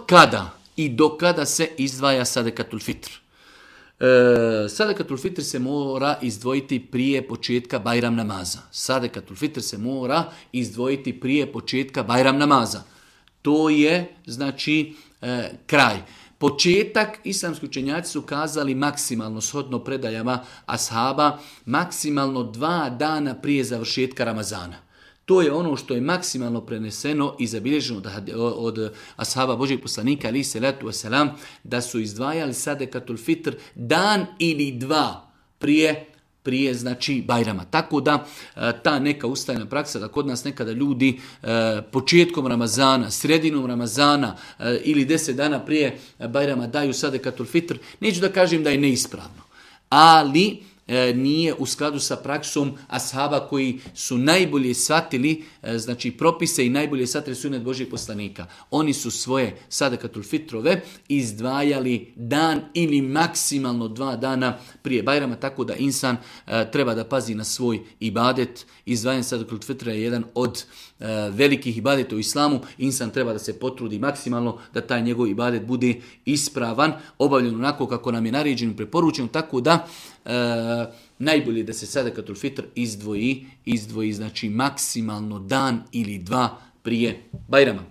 kada i do kada se izdvaja sadekatul fitr? Sadekatul fitr se mora izdvojiti prije početka Bajram namaza. Sadekatul fitr se mora izdvojiti prije početka Bajram namaza. To je, znači, kraj. Početak, islamski učenjaci su kazali maksimalno, shodno predajama ashaba, maksimalno 2 dana prije završetka Ramazana. To je ono što je maksimalno preneseno i zabilježeno od ashaba Božjeg poslanika, ali salatu wasalam, da su izdvajali sadekatul fitr dan ili 2 prije znači Bajrama. Tako da ta neka ustavljena praksa da kod nas nekada ljudi početkom Ramazana, sredinom Ramazana ili 10 dana prije Bajrama daju sadekatul fitr, neću da kažem da je neispravno, ali nije u skladu sa praksom ashaba koji su najbolje shvatili znači propise i najbolje shvatili sunet Božjeg poslanika. Oni su svoje sadekatul fitrove izdvajali dan ili maksimalno 2 dana prije Bajrama, tako da insan treba da pazi na svoj ibadet. Izdvajanje sadekatul fitra je jedan od velikih ibadeta u islamu. Insan treba da se potrudi maksimalno da taj njegov ibadet bude ispravan, obavljen onako kako nam je naređeno i preporučeno, tako da najbolje da se sadekatul fitr izdvoji znači maksimalno dan ili 2 prije Bajrama.